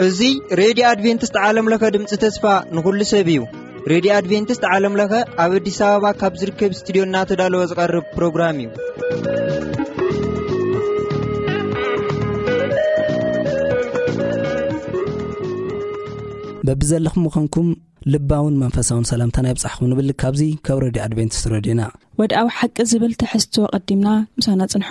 እዚ ሬድዮ ኣድቬንቲስት ዓለም ለኸ ድምፂ ተስፋ ንኹሉ ሰብ እዩ። ሬድዮ ኣድቬንቲስት ዓለም ለኸ ኣብ ኣዲስ ኣበባ ካብ ዝርከብ ስቱዲዮ እናተዳለወ ዝቐርብ ፕሮግራም እዩ። በብዘለኹም ምዃንኩም ልባውን መንፈሳውን ሰላምታና ይብጻሕኩም ንብል። ካብዚ ካብ ሬድዮ ኣድቬንቲስት ሬድዮና። ወድኣዊ ሓቂ ዝብል ትሕዝቶ ቀዲምና ምሳና ጽንሑ።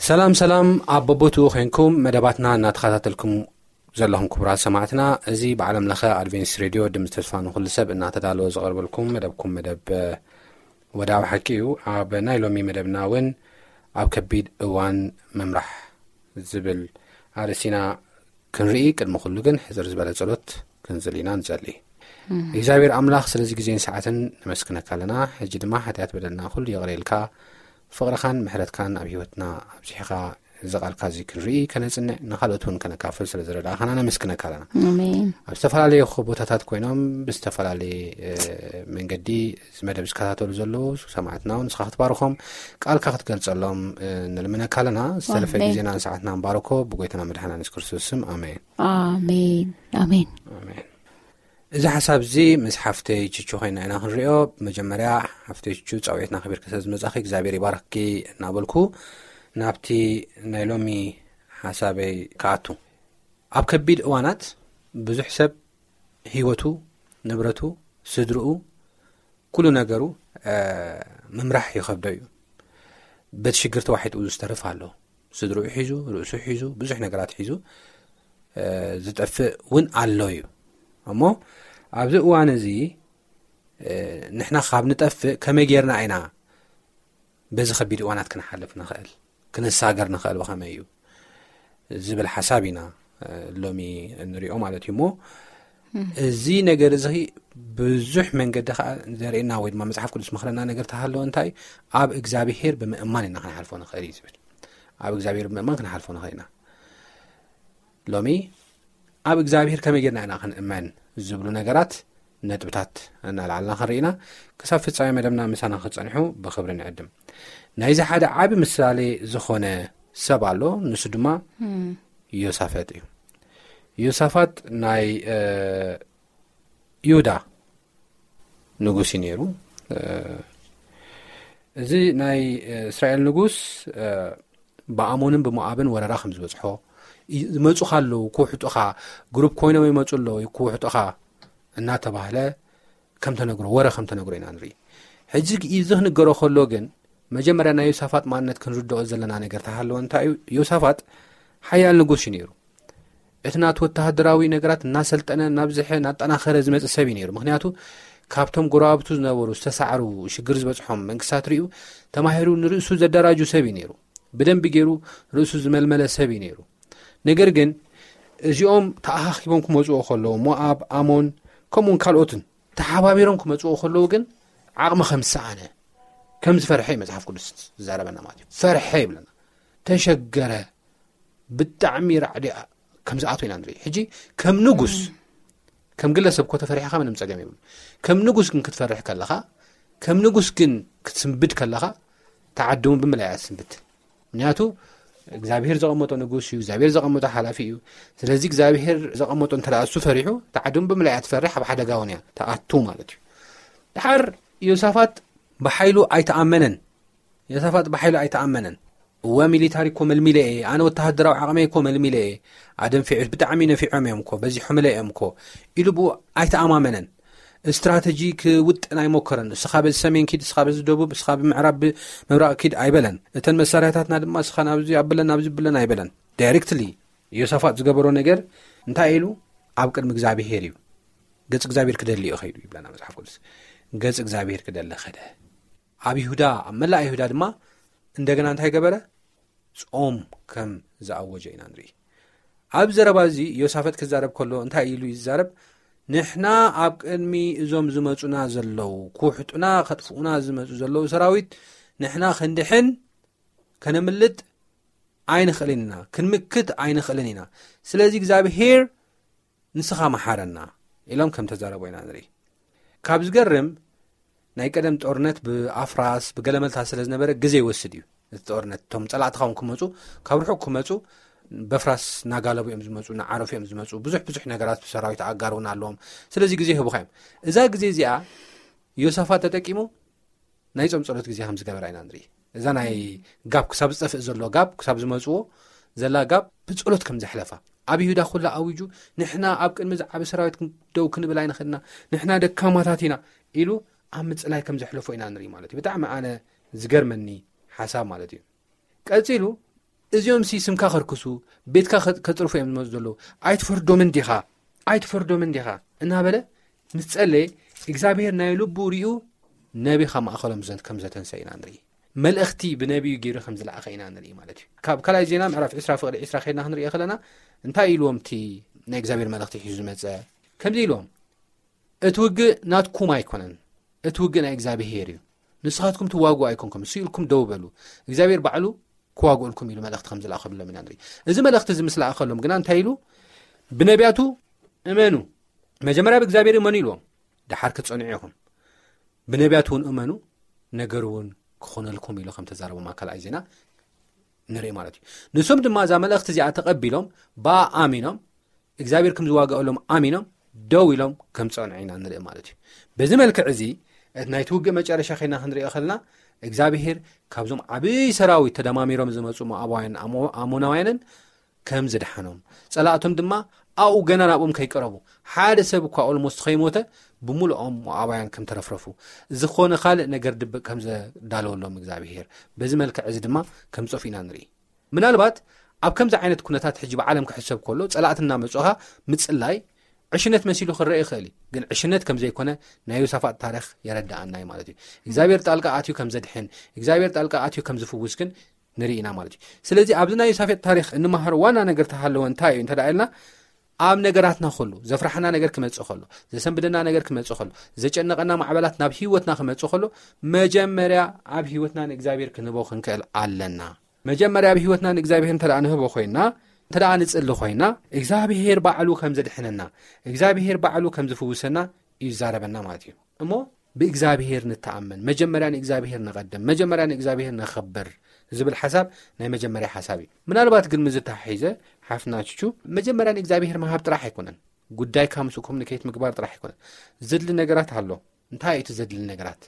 ሰላም ሰላም፣ ኣብ በቦትኡ ኮይንኩም መደባትና እናተኸታተልኩም ዘለኹም ክቡራት ሰማዕትና፣ እዚ ብዓለም ለኸ ኣድቬንቲስት ሬድዮ ድምፂ ተስፋ ንኹሉ ሰብ እናተዳለወ ዝቐርበልኩም መደብኩም መደብ፣ እ፣ ወድኣዊ ሓቂ እዩ። ኣብ ናይ ሎሚ መደብና እውን ኣብ ከቢድ እዋን ምምራሕ ዝብል ኣርእስቲ ኢና ክንርኢ። ቅድሚ ኩሉ ግን ሕፅር ዝበለ ጸሎት ክንጽሊ ኢና። ንጸሊ። እግዚኣብሔር ኣምላኽ ስለዚ ግዜን ሰዓትን ነመስግነካ ኣለና። ሕጂ ድማ ሓጢኣት በደልና ኩሉ ይቕረ ኢልካ ፍቕርኻን ምሕረትካን ኣብ ህይወትና ኣብዚሕኻ እዚ ቃልካ እዚ ክንርኢ ከነጽንዕ ንኻልኦት እውን ከነካፍል ስለ ዝረዳእኻና ነመስግነካ ኣለና። ኣሜን። ኣብ ዝተፈላለየ ቦታታት ኮይኖም ብዝተፈላለየ፣ እ፣ መንገዲ እዚ መደብ ዝከታተሉ ዘለዉ ሰማዕትና እውን ንስኻ ክትባርኾም ቃልካ ክትገልጸሎም፣ እ፣ ንልምነካ ኣለና። ዝተረፈ ኣሜን። ግዜና ንሰዓትና ንባርኮ ብጎይታና መድሓና ንስ ክርስቶስ ስም ኣሜን። ኣሜን። ኣሜን። ኣሜን። እዚ ሓሳብ እዚ ምስ ሓፍተይ ችቹ ኮይና ኢና ክንሪኦ። ብመጀመርያ ሓፍተይ ችቹ ጻውዒትና ከቢርኪ ስለ ዝመጻኺ እግዚኣብሔር ይባርክኪ እናበልኩ ናብቲ ናይ ሎሚ ሓሳበይ ክኣቱ። ኣብ ከቢድ እዋናት ብዙሕ ሰብ ህይወቱ፣ ንብረቱ፣ ስድርኡ፣ ኩሉ ነገሩ፣ እ፣ ምምራሕ ይኸብዶ እዩ። በቲ ሽግር ተዋሒጡ ዝተርፍ ኣሎ። ስድርኡ ሒዙ፣ ርእሱ ሒዙ፣ ብዙሕ ነገራት ሒዙ፣ እ፣ ዝጠፍእ እውን ኣሎ እዩ። እሞ ኣብዚ እዋን እዚ፣ እ፣ ንሕና ካብ ንጠፍእ ከመይ ጌርና ኢና በዚ ከቢድ እዋናት ክንሓልፍ ንኽእል፣ ክንሳገር ንኽእል ብኸመይ እዩ ዝብል ሓሳብ ኢና፣ እ፣ ሎሚ እንሪኦ ማለት እዩ። እሞ እም። እዚ ነገር እዚ ብዙሕ መንገዲ ከዓ ዘርእየና ወይ ድማ መጽሓፍ ቅዱስ መኽረና ነገር ተሃለወ እንታይ ኣብ እግዚኣብሔር ብምእማን ኢና ክንሓልፎ ንኽእል እዩ ዝብል። ኣብ እግዚኣብሔር ብምእማን ክንሓልፎ ንኽእል ኢና። ሎሚ ኣብ እግዚኣብሔር ከመይ ጌርና ኢና ክንእመን ዝብሉ ነገራት ነጥብታት እናልዓልና ክንርኢ ኢና። ክሳብ ፍጻሜ መደብና ምሳና ክጸንሑ ብኽብሪ ንዕድም። ናይዚ ሓደ ዓቢ ምሳሌ ዝኾነ ሰብ ኣሎ፣ ንሱ ድማ እም። ዮሳፈጥ እዩ። ዮሳፋጥ ናይ፣ እ፣ ይሁዳ ንጉስ እዩ ነይሩ። እ፣ እዚ ናይ፣ እ፣ እስራኤል ንጉስ፣ እ፣ ብኣሞንን ብሞኣብን ወረራ ከም ዝበጽሖ፣ ይ-፣ ዝመጹኻ ኣለዉ፣ ክውሕጡኻ፣ ግሩፕ ኮይኖም ይመጹ ኣለዉ፣ ክውሕጡኻ እናተባህለ ከም ተነግሮ፣ ወረ ከም ተነግሮ ኢና ንርኢ። ሕጂ እዚ ክንገሮ ከሎ ግን፣ መጀመርያ ናይ ዮሳፋጥ ማንነት ክንርድኦ ዘለና ነገር ተሃለወ እንታይ እዩ? ዮሳፋጥ ሓያል ንጉስ እዩ ነይሩ። እቲ ናቱ ወተሃደራዊ ነገራት እናሰልጠነ፣ እናብዝሐ፣ እናጠናኸረ ዝመጽእ ሰብ እዩ ነይሩ። ምኽንያቱ ካብቶም ጎረባብቱ ዝነበሩ፣ ዝተሳዕሩ፣ ሽግር ዝበጽሖም መንግስታት ርእዩ ተማሂሩ ንርእሱ ዘደራጁ ሰብ እዩ ነይሩ። ብደንቢ ገይሩ ርእሱ ዝመልመለ ሰብ እዩ ነይሩ። ነገር ግን እዚኦም ተኣኻኺቦም ክመጽኡ ከለዉ፣ ሞኣብ፣ ኣሞን፣ ከምኡውን ካልኦትን ተሓባቢሮም ክመጽኡ ከለዉ ግን ዓቕሚ ከም ዝሰኣነ፣ ከም ዝፈርሐ እዩ መጽሓፍ ቅዱስ ዝዛረበና ማለት እዩ። ፈርሐ ይብለና። ተሸገረ፣ ብጣዕሚ ራዕዲ ከም ዝኣትዎ ኢና ንርኢ። ሕጂ ከም ንጉስ፣ ከም ግለሰብ እኮ ተፈሪሕኻ ምንም ጸገም የብሉ። ከም ንጉስ ግን ክትፈርሕ ከለኻ፣ ከም ንጉስ ግን ክትስንብድ ከለኻ፣ ተዓድሙ ብምልኣይ እያ ትስንብድ። ምክንያቱ እግዚኣብሔር ዘቐመጦ ንጉስ እዩ፣ እግዚኣብሔር ዘቐመጦ ሓላፊ እዩ። ስለዚ እግዚኣብሔር ዘቐመጦ እንተ ደኣ እሱ ፈሪሑ፣ ተዓድሙ ብምልኣይ እያ ትፈርሕ፣ ኣብ ሓደጋ እውን እያ ትኣቱ ማለት እዩ። ድሓር ዮሳፋጥ ብሓይሉ ኣይተኣመነን። ዮሳፋጥ ብሓይሉ ኣይተኣመነን። እወ፣ ሚሊታሪ እኮ መልሚለ እየ፣ ኣነ ወተሃደራዊ ዓቕመይ እኮ መልሚለ እየ፣ ኣደንፊዑ፣ ብጣዕሚ ነፊዖም እዮም እኮ፣ በዚሖምለ እዮም እኮ ኢሉ ብኡ ኣይተኣማመነን። ስትራተጂ ክውጥን ኣይሞከረን። እስኻ በዚ ሰሜን ኪድ፣ እስኻ በዚ ደቡብ፣ እስኻ ብምዕራብ፣ ብምብራቕ ኪድ ኣይበለን። እተን መሳርያታትና ድማ እስኻ ናብዚ ኣብለን፣ ናብዚ ብለን ኣይበለን። ዳይሬክትሊ ዮሳፋጥ ዝገበሮ ነገር እንታይ ኢሉ? ኣብ ቅድሚ እግዚኣብሄር እዩ። ገጽ እግዚኣብሄር ክደሊ እዩ ከይዱ ይብለና መጽሓፍ ቅዱስ። ገጽ እግዚኣብሄር ክደሊ ከደ። ኣብ ይሁዳ፣ ኣብ መላእ ይሁዳ ድማ እንደገና እንታይ ገበረ? ጾም ከም ዝኣወጀ ኢና ንርኢ። ኣብ ዘረባ እዚ ዮሳፈጥ ክዛረብ ከሎ እንታይ ኢሉ እዩ ዝዛረብ? ንሕና ኣብ ቅድሚ እዞም ዝመጹና ዘለዉ፣ ክውሕጡና፣ ከጥፍኡና ዝመጹ ዘለዉ ሰራዊት ንሕና ክንድሕን፣ ከነምልጥ ኣይንኽእልን ኢና፣ ክንምክት ኣይንኽእልን ኢና። ስለዚ እግዚኣብሄር ንስኻ መሓረና ኢሎም ከም ተዛረቦ ኢና ንርኢ። ካብ ዝገርም፣ ናይ ቀደም ጦርነት ብኣፍራስ ብገለመልታ ስለ ዝነበረ ግዜ ይወስድ እዩ። እቲ ጦርነት፣ እቶም ጸላእትኻ እውን ክመጹ፣ ካብ ርሑቕ ክመጹ፣ በፍራስ እናጋለቡ እዮም ዝመጹ፣ እናዓረፉ እዮም ዝመጹ። ብዙሕ ብዙሕ ነገራት ብሰራዊት ኣጋር እውን ኣለዎም። ስለዚ ግዜ ህቡኻ እዮም። እዛ ግዜ እዚኣ ዮሳፋት ተጠቂሙ ናይ ጾም ጸሎት ግዜ ከም ዝገበራ ኢና ንርኢ። እዛ ናይ ጋብ ክሳብ ዝጠፍእ ዘሎ ጋብ ክሳብ ዝመጽዎ ዘላ ጋብ ብጸሎት ከም ዘሕለፋ፣ ኣብ ይሁዳ ኩላ ኣዊጁ፣ "ንሕና ኣብ ቅድሚ ዝዓቢ ሰራዊት ደው ክንብል ኣይንኽእልና፣ ንሕና ደካማታት ኢና" ኢሉ ኣብ ምጽላይ ከም ዘሕለፎ ኢና ንርኢ ማለት እዩ። ብጣዕሚ ኣነ ዝገርመኒ ሓሳብ ማለት እዩ። ቀጺሉ፣ "እዚኦም ሲ ስምካ ከርክሱ፣ ቤትካ ከ-፣ ከጽርፉ እዮም ዝመጹ ዘለዉ። ኣይትፈርዶምን ዲኻ? ኣይትፈርዶምን ዲኻ?" እናበለ ምስ ጸለየ፣ እግዚኣብሄር ናይ ልቡ ሪኡ፣ ነቢ ካብ ማእኸሎም ዘን-፣ ከም ዘተንሰ ኢና ንርኢ። መልእኽቲ ብነቢዩ ገይሩ ከም ዝለኣኸ ኢና ንርኢ ማለት እዩ። ካብ ካልኣይ ዜና ምዕራፍ ዕስራ ፍቕዲ ዕስራ ከይድና ክንሪኦ ከለና፣ እንታይ ኢልዎም እቲ ናይ እግዚኣብሄር መልእኽቲ ሒዙ ዝመጸ? ከምዚ ኢልዎም፣ "እቲ ውግእ ናትኩም ኣይኮነን፣ እቲ ውግእ ናይ እግዚኣብሄር እዩ። ንስኻትኩም ትዋግኡ ኣይኮንኩም፣ ስኢልኩም ደው በሉ፣ እግዚኣብሄር ባዕሉ ክዋግኡልኩም" ኢሉ መልእኽቲ ከም ዝለኣኸሎም ኢና ንርኢ። እዚ መልእኽቲ እዚ ምስ ለኣኸሎም ግና እንታይ ኢሉ? "ብነቢያቱ እመኑ፣ መጀመርያ ብእግዚኣብሄር እመኑ" ኢልዎም። "ደሓር ክትጸንዑ ኢኹም፣ ብነቢያቱ እውን እመኑ፣ ነገር እውን ክኾነልኩም" ኢሉ ከም ተዛረቦም ኣብ ካልኣይ ዜና ንርኢ ማለት እዩ። ንሶም ድማ እዛ መልእኽቲ እዚኣ ተቐቢሎም ብኣ ኣሚኖም፣ እግዚኣብሄር ከም ዝዋግኣሎም ኣሚኖም ደው ኢሎም ከም ጸንዑ ኢና ንርኢ ማለት እዩ። በዚ መልክዕ እዚ፣ እቲ ናይቲ ውግእ መጨረሻ ከይና ክንሪኦ ከለና፣ እግዚኣብሄር ካብዞም ዓብዪ ሰራዊት ተደማሚሮም ዝመጹ ሞኣባውያን ኣሞ-፣ ኣሞናውያንን ከም ዝደሓኖም፣ ጸላእቶም ድማ ኣብኡ ገና ናብኦም ከይቀረቡ፣ ሓደ ሰብ እኳ ኦልሞስት ከይሞተ፣ ብምሉኦም ሞኣባውያን ከም ተረፍረፉ፣ ዝኾነ ካልእ ነገር ድብቕ ከም ዘዳለወሎም እግዚኣብሄር፣ በዚ መልክዕ እዚ ድማ ከም ዝጠፍኡ ኢና ንርኢ። ምናልባት ኣብ ከምዚ ዓይነት ኩነታት ሕጂ ብዓለም ክሕሰብ ከሎ፣ ጸላእቲ እናመጹኻ ምጽላይ ዕሽነት መሲሉ ክረአ ይኽእል እዩ። ግን ዕሽነት ከም ዘይኮነ ናይ ዮሳፋጥ ታሪኽ የረድኣና እዩ ማለት እዩ። እግዚኣብሔር ጣልቃ ኣትዩ ከም ዘድሕን፣ እግዚኣብሔር ጣልቃ ኣትዩ ከም ዝፍውስ ግን ንርኢ ኢና ማለት እዩ። ስለዚ ኣብዚ ናይ ዮሳፋጥ ታሪኽ እንመሃሮ ዋና ነገር ተሃለወ እንታይ እዩ እንተ ደኣ ኢልና፣ ኣብ ነገራትና ከሎ፣ ዘፍራሕና ነገር ክመጽእ ከሎ፣ ዘሰንብደና ነገር ክመጽእ ከሎ፣ ዘጨነቐና ማዕበላት ናብ ህይወትና ክመጽእ ከሎ፣ መጀመርያ ኣብ ህይወትና ንእግዚኣብሔር ክንህቦ ክንክእል ኣለና። መጀመርያ ኣብ ህይወትና ንእግዚኣብሔር እንተ ደኣ ንህቦ ኮይና፣ እንተ ደኣ ንጽሊ ኮይና፣ እግዚኣብሔር ባዕሉ ከም ዘድሕነና፣ እግዚኣብሔር ባዕሉ ከም ዝፍውሰና እዩ ዝዛረበና ማለት እዩ። እሞ ብእግዚኣብሔር ንተኣመን፣ መጀመርያ ንእግዚኣብሔር ንቐድም፣ መጀመርያ ንእግዚኣብሔር ነኸብር ዝብል ሓሳብ ናይ መጀመርያ ሓሳብ እዩ። ምናልባት ግን ምስ ዝተሓሒዘ ሓፍትና ቹቹ፣ መጀመርያ ንእግዚኣብሔር ምሃብ ጥራሕ ኣይኮነን። ጉዳይካ ምስኡ ኮሙኒኬት ምግባር ጥራሕ ኣይኮነን። ዘድሊ ነገራት ኣሎ። እንታይ እዩ እቲ ዘድሊ ነገራት?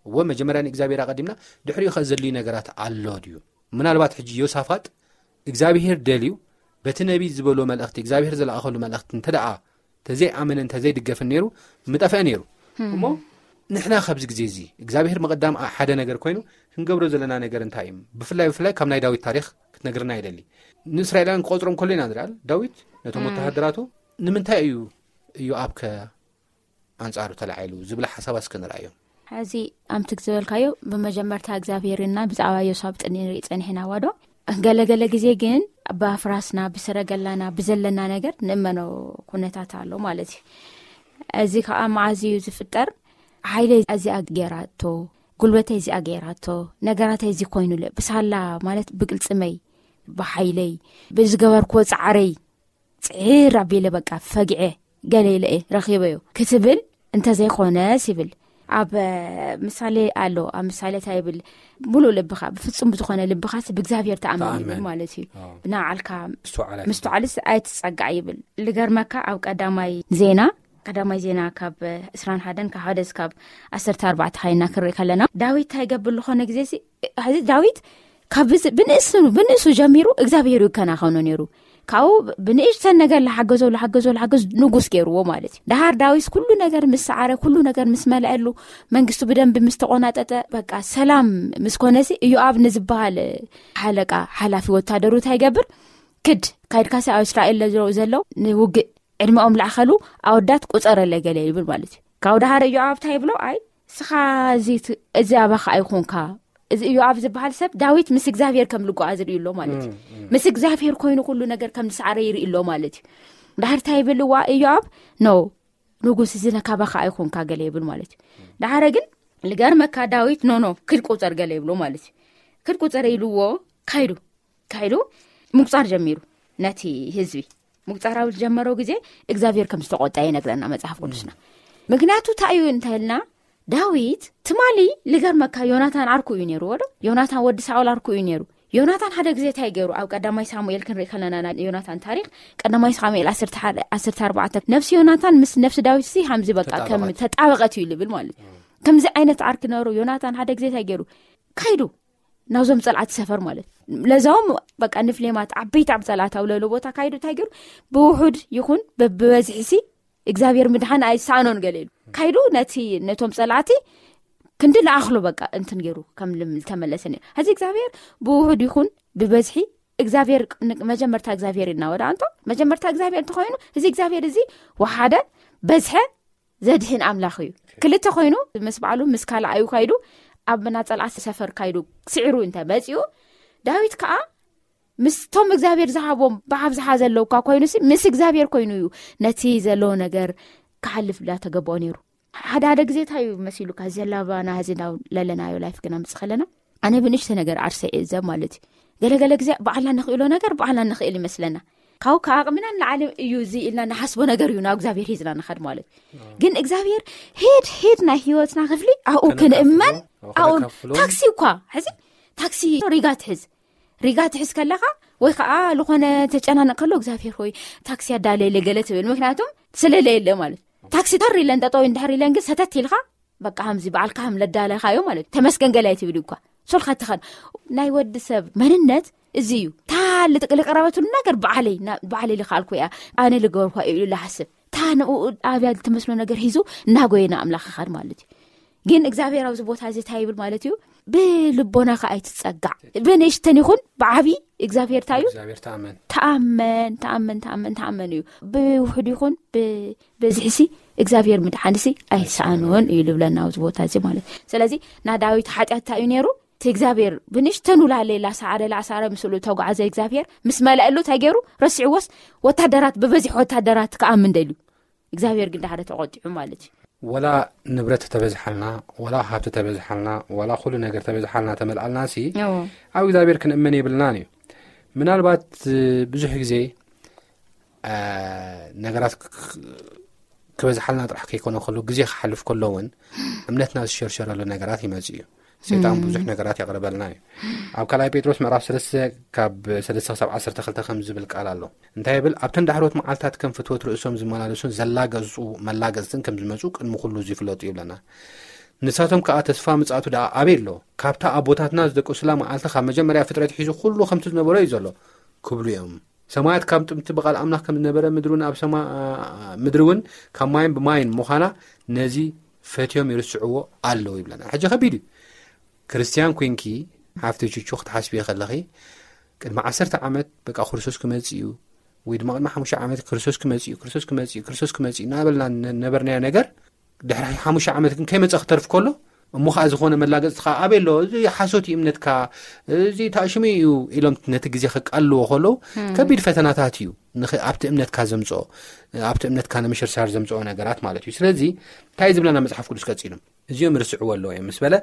እወ፣ መጀመርያ ንእግዚኣብሔር ኣቐዲምና፣ ድሕሪኡ ኸ ዘድልዩ ነገራት ኣሎ ድዩ? ምናልባት ሕጂ ዮሳፋጥ እግዚኣብሔር ደልዩ፣ በቲ ነቢይ ዝበሎ መልእኽቲ፣ እግዚኣብሔር ዝለኣኸሉ መልእኽቲ እንተ ደኣ ተዘይኣመነ፣ እንተ ዘይድገፍን ነይሩ፣ ምጠፍአ ነይሩ። እሞ ንሕና ካብዚ ግዜ እዚ እግዚኣብሔር ምቕዳም ኣ-፣ ሓደ ነገር ኮይኑ፣ ክንገብሮ ዘለና ነገር እንታይ እዩ? ብፍላይ፣ ብፍላይ ካብ ናይ ዳዊት ታሪኽ ክትነግርና ይደሊ። ንእስራኤላውያን ክቆጽሮም ከሎ ኢና ንርኢ። ዳዊት ነቶም እም። ወተሃደራቱ፣ "ንምንታይ እዩ ኢዮኣብ ከ ኣንጻሩ ተላዒሉ?" ዝብላ ሓሳባት እስከ ንርኣዮም። ሕዚ ኣምትክ ዝበልካዮ ብመጀመርታ እግዚኣብሔር እና ብዛዕባ ዮሳብ ጥኒ ንርኢ ጸኒሕና ዋዶ። ገለገለ ግዜ ግን ብኣፍራስና፣ ብሰረገላና፣ ብዘለና ነገር ንእመኖ ኩነታት ኣሎ ማለት እዩ። እዚ ከዓ መዓዝ እዩ ዝፍጠር? ሓይለይ እዚኣ ገይራቶ፣ ጉልበተይ እዚኣ ገይራቶ፣ ነገራተይ እዚ ኮይኑለ፣ ብሳላ ማለት ብቅልጽመይ፣ ብሓይለይ፣ ብዝገበርክዎ ጻዕረይ፣ ጽዕር ኣቢለ በቃ ፈጊዐ፣ ገለ ኢለ እየ ረኺበዮ ክትብል እንተዘይኮነስ ይብል። ኣብ ምሳሌ ኣሎ፣ ኣብ ምሳሌ እንታይ ይብል? "ሙሉእ ልብኻ፣ ብፍጹም ብዝኾነ ልብኻስ ብእግዚኣብሔር ተኣመን" ይብል ተኣመን። ማለት እዩ። ኣዎ። ብናዓልካ ምስትውዓል ኣይትጸጋዕ። ምስትውዓልስ ኣይትጸጋዕ ይብል። ልገርመካ፣ ኣብ ቀዳማይ ዜና፣ ቀዳማይ ዜና ካብ ዕስራን ሓደን ካብ ሓደ እስካብ ዓሰርተ ኣርባዕተ ኻይና ክንርኢ ከለና፣ ዳዊት እንታይ ይገብር ዝኾነ ግዜ ሲ፣ ሕዚ ዳዊት ካብ ብዝ-፣ ብንእሱ፣ ብንእሱ ጀሚሩ እግዚኣብሔር ይከናኸኖ ነይሩ። ካብኡ ብንእሽተን ነገር ለሓገዞ፣ ለሓገዞ፣ ለሓገዞ ንጉስ ገይርዎ ማለት እዩ። ደሃር ዳዊት ኩሉ ነገር ምስ ሰዓረ፣ ኩሉ ነገር ምስ መለአሉ፣ መንግስቱ ብደንቢ ምስ ተቆናጠጠ፣ በቃ ሰላም ምስ ኮነሲ፣ ኢዮኣብ ንዝበሃል ሓለቃ፣ ሓላፊ ወታደሩ እንታይ ይገብር? "ክድ፣ ካይድካሲ ኣብ እስራኤል ለ-፣ ዘሎ ንውግእ ዕድመኦም ላዕኸሉ ኣወዳት ቁጸረለ" ገለ ይብል ማለት እዩ። ካብኡ ደሃር ኢዮኣብ እንታይ ይብሎ? "ኣይ፣ እስኻ እዚ ት-፣ እዚ ኣባኻ ኣይኮንካ፣ እዚ ኢዮኣብ ዝበሃል ሰብ ዳዊት ምስ እግዚኣብሔር ከም ልጓዓ ዝርኢ ኣሎ ማለት እዩ። ምስ እግዚኣብሔር ኮይኑ ኩሉ ነገር ከም ዝሰዓረ ይርኢ ኣሎ ማለት እዩ። ዳሕር እንታይ ይብል እዋ ኢዮኣብ? ኖ፣ ንጉስ እዚ ነካባኻ ኣይኮንካ ገለ ይብል ማለት እዩ። ዳሕረ ግን ልገርመካ ዳዊት ኖ ኖ ክድ ቁፀር ገለ ይብሎ ማለት እዩ። ክድ ቁፀር ኢልዎ ካይዱ ካይዱ ምቁፃር ጀሚሩ። ነቲ ህዝቢ ምቁፃራዊ ዝጀመረው ግዜ እግዚኣብሔር ከም ዝተቆጣ ይነግረና መጽሓፍ ቅዱስና። ምክንያቱ እንታይ እዩ እንተልና፣ ዳዊት ትማሊ ልገርመካ ዮናታን ዓርኩ እዩ ነይሩ ወዶ። ዮናታን ወዲ ሳኦል ዓርኩ እዩ ነይሩ። ዮናታን ሓደ ግዜ እንታይ ገይሩ? ኣብ ቀዳማይ ሳሙኤል ክንርኢ ከለና ናይ ዮናታን ታሪክ፣ ቀዳማይ ሳሙኤል ዓሰርተ ሓደ፣ ዓሰርተ ኣርባዕተ፣ ነፍሲ ዮናታን ምስ ነፍሲ ዳዊት ሲ ሃምዚ በቃ ከም ተጣበቐት። ተጣበቐት እዩ ልብል ማለት እዩ። ከምዚ ዓይነት ዓርኪ ነሩ። ዮናታን ሓደ ግዜ እንታይ ገይሩ? ካይዱ ናብዞም ጸላእቲ ሰፈር ማለት፣ ለዛውም በቃ ንፍሌማት ዓበይቲ ኣብ ጸላእቲ ኣብ ለሎ ቦታ ካይዱ እንታይ ገይሩ? ብውሑድ ይኹን በብበዝሒ ሲ እግዚኣብሔር ምድሓን ኣይሳኖን ገለ ኢሉ ካይዱ ነቲ፣ ነቶም ጸላእቲ ክንዲ ለኣኽሎ በቃ እንትን ገይሩ ከም ልም-፣ ተመለሰ ነይሩ። ሕዚ እግዚኣብሔር ብውሑድ ይኹን ብበዝሒ እግዚኣብሔር ን-፣ መጀመርታ እግዚኣብሔር እናወዳ እንቶ መጀመርታ እግዚኣብሔር እንተኾይኑ፣ እዚ እግዚኣብሔር እዚ ወሓደ በዝሐ ዘድህን ኣምላኽ እዩ። ክልተ ኮይኑ ምስ በዓሉ ምስ ካልኣዩ ካይዱ ኣብ ናጸልኣት ሰፈር ካይዱ ስዒሩ እንተ መጺኡ፣ ዳዊት ከኣ ምስቶም እግዚኣብሔር ዝሃቦም ብኣብዝሓ ዘለውካ ኮይኑሲ ምስ እግዚኣብሔር ኮይኑ እዩ ነቲ ዘለዎ ነገር ክሓልፍ ዳተገባኦ ነይሩ። ሓደ ሓደ ግዜ እንታይ እዩ መሲሉካ? ዘላባና እዚ ናብ ለለናዮ ላይፍ ግና ምጽእ ከለና፣ ኣነ ብንእሽተ ነገር ዓርሰ እየ ዘብ ማለት እዩ። ገለገለ ግዜ በዓልና ንኽእሎ ነገር በዓልና ንኽእል ይመስለና። ካብ ከኣቕምና ንላዕሊ እዩ እዚ ኢልና ንሓስቦ ነገር እዩ ናብ እግዚኣብሔር ሒዝና ንኸድ ማለት እዩ። ግን እግዚኣብሔር ሄድ ሄድ ናይ ህይወትና ክፍሊ ኣብኡ ከነካፍሎ፣ ክንእመን፣ ኣብኡ ኣብኡ ከነካፍሎ። ታክሲ እኳ ሕዚ ታክሲ ሪጋ ትሕዝ፣ ሪጋ ትሕዝ ከለኻ ወይ ከዓ ዝኾነ ተጨናነቕ ከሎ እግዚኣብሔር ሆይ ታክሲ ኣዳለየለ ገለ ትብል። ምክንያቱም ስለለ የለ ማለት እዩ። ታክሲ ተር ኢለን ጠጠው እንድሕር ኢለን ግን ሰተት ኢልካ በቃ ከምዚ በዓልካ ከም ለዳለኻዮ ማለት እዩ። ተመስገን ገለ ኣይትብል እኳ። ሶልካ ትኸድ። ናይ ወዲ ሰብ መንነት እዚ እዩ። እታ ልጥቅ-፣ ልቀረበትሉ ነገር በዓለይ፣ ና-፣ በዓለይ ልኸኣልኩ እያ፣ ኣነ ልገበርኳ ኢሉ ልሓስብ። እታ ንኡ ኣብያ ልትመስሎ ነገር ሒዙ እናጎየ ንኣምላኽ ይኸድ ማለት እዩ። ግን እግዚኣብሔር ኣብዚ ቦታ እዚ እንታይ ይብል ማለት እዩ? ብልቦናኻ ኣይትጸጋዕ። ብንእሽተን ይኹን ብዓቢ እግዚኣብሔር እንታይ እዩ? እግዚኣብሔር ተኣመን። ተኣመን፣ ተኣመን፣ ተኣመን፣ ተኣመን እዩ። ብውሑድ ይኹን ብ-፣ በዝሕሲ እግዚኣብሔር ምድሓንሲ ኣይሰኣኖን እዩ ልብለና ኣብዚ ቦታ እዚ ማለት። ስለዚ ናይ ዳዊት ሓጢኣት እንታይ እዩ ነይሩ? እቲ እግዚኣብሔር ብንእሽተኑ ላለ ላሳዕረ፣ ላሳዕረ ምስሉ ተጓዓዘ እግዚኣብሔር ምስ መለአሉ እንታይ ገይሩ? ረሲዕዎስ ወታደራት፣ ብበዝሒ ወታደራት ክኣምን ደልዩ። እግዚኣብሔር ግን ዳሕረ ተቖጢዑ ማለት እዩ። ወላ ንብረት ተበዝሓልና፣ ወላ ሃብቲ ተበዝሓልና፣ ወላ ኩሉ ነገር ተበዝሓልና፣ ተመልኣልና ሲ፣ እዎ። ኣብ እግዚኣብሔር ክንእመን የብልናን እዩ። ምናልባት፣ እ፣ ብዙሕ ግዜ፣ እ፣ ነገራት ክ-፣ ክ-፣ ክበዝሓልና ጥራሕ ከይኮነ ከሎ፣ ግዜ ክሓልፍ ከሎ እውን እምነትና ዝሸርሸረሉ ነገራት ይመጽእ እዩ። ሰይጣን እም። ብዙሕ ነገራት የቕርበልና እዩ። ኣብ ካልኣይ ጴጥሮስ ምዕራፍ ሰለስተ ካብ ሰለስተ ክሳብ ዓሰርተ ክልተ ከም ዝብል ቃል ኣሎ። እንታይ ይብል? ኣብተን ዳሕሮት መዓልታት ከም ፍትወት ርእሶም ዝመላለሱን ዘላገጹ መላገጽትን ከም ዝመጹ ቅድሚ ኩሉ እዚ ይፍለጡ ይብለና። ንሳቶም ከኣ ተስፋ ምጽኣቱ ደኣ ኣበይ ኣሎ? ካብታ ኣቦታትና ዝደቀሱላ መዓልቲ ካብ መጀመርያ ፍጥረት ሒዙ ኩሉ ከምቲ ዝነበሮ እዩ ዘሎ ክብሉ እዮም። ሰማያት ካብ ጥንቲ ብቓል ኣምላኽ ከም ዝነበረ ምድሪ እውን ኣብ ሰማ-፣ ምድሪ እውን ካብ ማይን ብማይን ምዃና ነዚ ፈትዮም ይርስዕዎ ኣለዉ ይብለና። ሕጂ ከቢድ እዩ። ክርስትያን ኮይንኪ ሓፍቲ ቹቹ ክትሓስቢ ከለኺ ቅድሚ ዓሰርተ ዓመት በቃ ክርስቶስ ክመጽእ እዩ ወይ ድማ ቅድሚ ሓሙሽተ ዓመት ክርስቶስ ክመጽእ እዩ፣ ክርስቶስ ክመጽእ እዩ፣ ክርስቶስ ክመጽእ እዩ እናበልና ነ-፣ ነበርናዮ ነገር ድሕሪ ሓሙሽተ ዓመት ግን ከይመጸ ክተርፍ ከሎ፣ እሞ ኸዓ ዝኾነ መላገጽቲ ኸዓ ኣበይ ኣሎ? እዚ ሓሶት እዩ እምነትካ፣ እዚ ታእሽሙ እዩ ኢሎም ነቲ ግዜ ከቃልዎ ከለዉ፣ እም። ከቢድ ፈተናታት እዩ ንኽ-፣ ኣብቲ እምነትካ ዘምጽኦ፣ ኣብቲ እምነትካ ንምሽርሻር ዘምጽኦ ነገራት ማለት እዩ። ስለዚ እንታይ ዝብለና መጽሓፍ ቅዱስ ቀጺሉ? እዚኦም ይርስዕዎ ኣለዉ እዮም ምስ በለ፣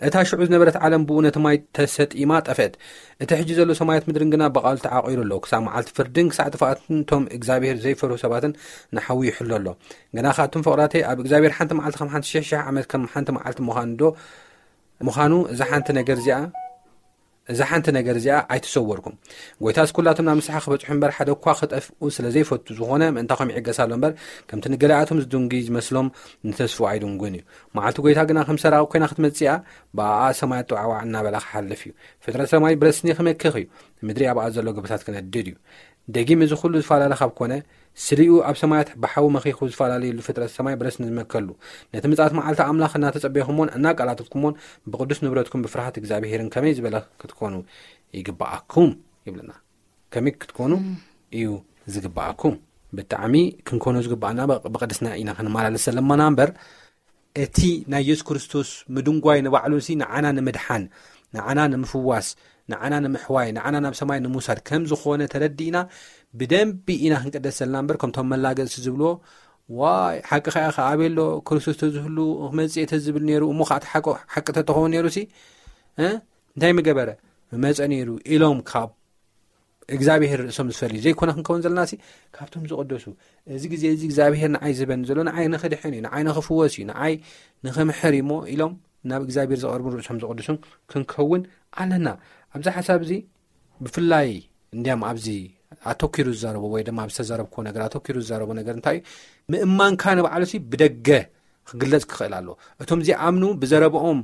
እታ ሽዑ ዝነበረት ዓለም ብኡ ነቲ ማይ ተሰጢማ ጠፍአት። እቲ ሕጂ ዘሎ ሰማያት ምድርን ግና ብቓሉ ተዓቒሩ ኣሎ። ክሳብ መዓልቲ ፍርድን ክሳዕ ጥፍኣትን እቶም እግዚኣብሔር ዘይፈርሁ ሰባትን ንሓዊ ይሕሎ ኣሎ። ግና ኸኣ እቶም ፍቕራተይ፣ ኣብ እግዚኣብሔር ሓንቲ መዓልቲ ከም ሓንቲ ሽሕ ሽሕ ዓመት ከም ሓንቲ መዓልቲ ምዃኑ ዶ፣ ምዃኑ እዛ ሓንቲ ነገር እዚኣ፣ እዛ ሓንቲ ነገር እዚኣ ኣይትሰወርኩም። ጐይታስ ኩላቶም ናብ ንስሓ ክበጽሑ እምበር ሓደ እኳ ክጠፍኡ ስለ ዘይፈቱ ዝኾነ ምእንታኹም ይዕገስ ኣሎ እምበር፣ ከምቲ ንገሊኣቶም ዝድንጉይ ዝመስሎም ንተስፍኡ ኣይድንጉን እዩ። መዓልቲ ጐይታ ግና ከም ሰራቒ ኰይና ክትመጽእ እያ፣ ብኣኣ ሰማያት ጠዋዕዋዕ እናበላ ክሓልፍ እዩ። ፍጥረት ሰማይ ብረስኒ ክመክኽ እዩ፣ ምድሪ ኣብኣ ዘሎ ጎቦታት ክነድድ እዩ። ደጊም እዚ ኹሉ ዝፈላለ ካብ ኮነ፣ ስሊኡ ኣብ ሰማያት ብሓዊ መኺኹ ዝፈላለየሉ ፍጥረት ሰማይ ብረስኒ ዝመከሉ፣ ነቲ ምጽኣት መዓልቲ ኣምላኽ እናተጸበይኩሞን እናቃላተትኩሞን ብቕዱስ ንብረትኩም ብፍርሃት እግዚኣብሄርን ከመይ ዝበለ ክትኮኑ ይግብኣኩም ይብለና። ከመይ ክትኮኑ እም። እዩ ዝግብኣኩም? ብጣዕሚ ክንኮኖ ዝግብኣና ብቕ-፣ ብቕድስና ኢና ክንመላለስ ዘለማና እምበር፣ እቲ ናይ የሱስ ክርስቶስ ምድንጓይ ንባዕሉሲ ንዓና ንምድሓን፣ ንዓና ንምፍዋስ፣ ንዓና ንምሕዋይ፣ ንዓና ናብ ሰማይ ንምውሳድ ከም ዝኾነ ተረዲእና፣ ብደንቢ ኢና ክንቅደስ ዘለና እምበር፣ ከምቶም መላገጽቲ ዝብልዎ፣ "ዋይ፣ ሓቂ ኸኣ ኸኣ ኣበይ ኣሎ? ክርስቶስ ተዝህሉ ክመጽእ እየ ተዝብል ነይሩ፣ እሞ ኸኣ እቲ ሓቂ፣ ሓቂ ተተኸውን ነይሩሲ፣ እ? እንታይ ምገበረ? መጸ ነይሩ" ኢሎም ካብ እግዚኣብሔር ርእሶም ዝፈልዩ ዘይኮነ ክንከውን ዘለናሲ፣ ካብቶም ዝቕደሱ፣ "እዚ ግዜ እዚ እግዚኣብሔር ንዓይ ዝህበኒ ዘሎ፣ ንዓይ ንኽድሕን እዩ፣ ንዓይ ንኽፍወስ እዩ፣ ንዓይ ንኽምሕር እዩ" እሞ ኢሎም ናብ እግዚኣብሔር ዝቐርቡን ርእሶም ዘቕድሱን ክንከውን ኣለና። ኣብዚ ሓሳብ እዚ ብፍላይ እንዲያም ኣብዚ ኣተኪሩ ዝዛረቦ ወይ ድማ ኣብ ዝተዛረብክዎ ነገር ኣተኪሩ ዝዛረቦ ነገር እንታይ እዩ? ምእማንካ ንባዕሉሲ ብደገ ክግለጽ ክኽእል ኣለዎ። እቶም ዘይኣምኑ ብዘረብኦም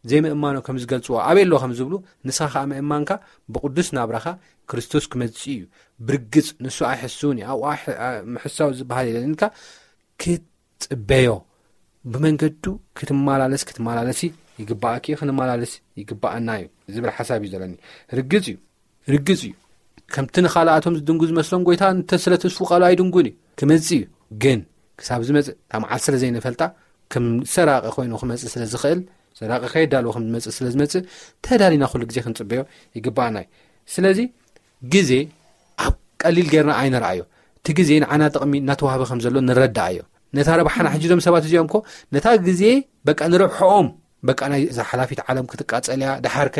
ዘይምእማኖ ከም ዝገልጽዎ ኣበይ ኣሎ ከም ዝብሉ፣ ንስኻ ከኣ ምእማንካ ብቕዱስ ናብራኻ ክርስቶስ ክመጽእ እዩ። ብርግጽ ንሱ ኣይሕስውን እዩ። ኣብኡ ኣሕ-፣ ኣ-፣ ምሕሳው ዝበሃል የለን ኢልካ ክትጽበዮ፣ ብመንገዱ ክትመላለስ፣ ክትመላለሲ ይግባኣኪ፣ ክንመላለስ ይግባኣና እዩ ዝብል ሓሳብ እዩ ዘለኒ። ርግጽ እዩ፣ ርግጽ እዩ። ከምቲ ንኻልኣቶም ዝድንጉ ዝመስሎም፣ ጎይታ እንተ ስለ ተስፉ ቃሉ ኣይድንጉን እዩ። ክመጽእ እዩ። ግን ክሳብ ዝመጽእ፣ እታ መዓልቲ ስለ ዘይንፈልጣ፣ ከም ሰራቂ ኮይኑ ክመጽእ ስለ ዝኽእል፣ ሰራቂ ከየዳልዎ ከም ዝመጽእ ስለ ዝመጽእ፣ ተዳሊና ኩሉ ግዜ ክንጽበዮ ይግባኣና እዩ። ስለዚ ግዜ ኣብ ቀሊል ጌርና ኣይንርኣዮ። እቲ ግዜ ንዓና ጥቕሚ እናተዋህበ ከም ዘሎ ንረዳኣዮ። ነታ ረብሓና፣ ሕጂ እዞም ሰባት እዚኦም እኮ ነታ ግዜ በቃ ንረብሕኦም፣ በቃ ናይ እዛ ሓላፊት ዓለም ክትቃጸል እያ፣ ደሓርከ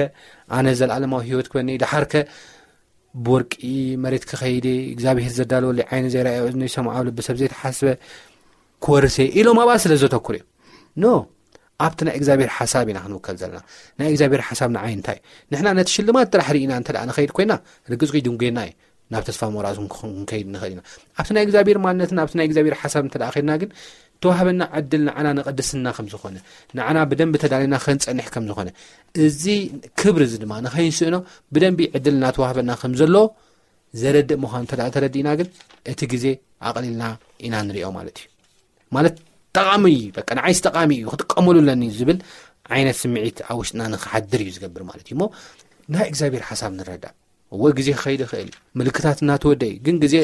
ኣነ ዘለኣለማዊ ህይወት ክበኒ፣ ደሓርከ ብወርቂ መሬት ክኸይድ እየ፣ እግዚኣብሔር ዘዳለወለይ ዓይኒ ዘይረኣዮ እዝኒ ይሰምዖ ልቢ ሰብ ዘይተሓስበ ክወርስ እየ ኢሎም ኣብኣ ስለ ዘተኩሩ እዮም። ኖ፣ ኣብቲ ናይ እግዚኣብሔር ሓሳብ ኢና ክንውከል ዘለና። ናይ እግዚኣብሔር ሓሳብ ንዓይ እንታይ እዩ? ንሕና ነቲ ሽልማት ጥራሕ ርኢና እንተ ደኣ ንኸይድ ኮይና፣ ርግጽ እዩ ድንጉየና እዩ። ናብ ተስፋ ምቑራጽ እውን ክኾን ክንከይድ ንኽእል ኢና። ኣብቲ ናይ እግዚኣብሔር ማንነትን ኣብቲ ናይ እግዚኣብሔር ሓሳብ እንተ ደኣ ኸይድና ግን፣ ተዋህበና ዕድል ንዓና ንቕድስና ከም ዝኾነ፣ ንዓና ብደንቢ ተዳሊና ክንጸንሕ ከም ዝኾነ፣ እዚ ክብሪ እዚ ድማ ንኸይንስእኖ ብደንቢ ዕድል እናተዋህበና ከም ዘሎ ዘረድእ ምዃኑ እንተ ደኣ ተረዲእና ግን፣ እቲ ግዜ ኣቕሊልና ኢና ንሪኦ ማለት እዩ። ማለት ጠቓሚ እዩ፣ በቃ ንዓይስ ጠቓሚ እዩ፣ ክጥቀመሉ ኣለኒ ዝብል ዓይነት ስምዒት ኣብ ውሽጥና ንኽሓድር እዩ ዝገብር ማለት እዩ። እሞ ናይ እግዚኣብሔር ሓሳብ ንረዳእ። እወ፣ ግዜ ክኸይድ ይኽእል እዩ። ምልክታት እናተወደ እዩ። ግን ግዜ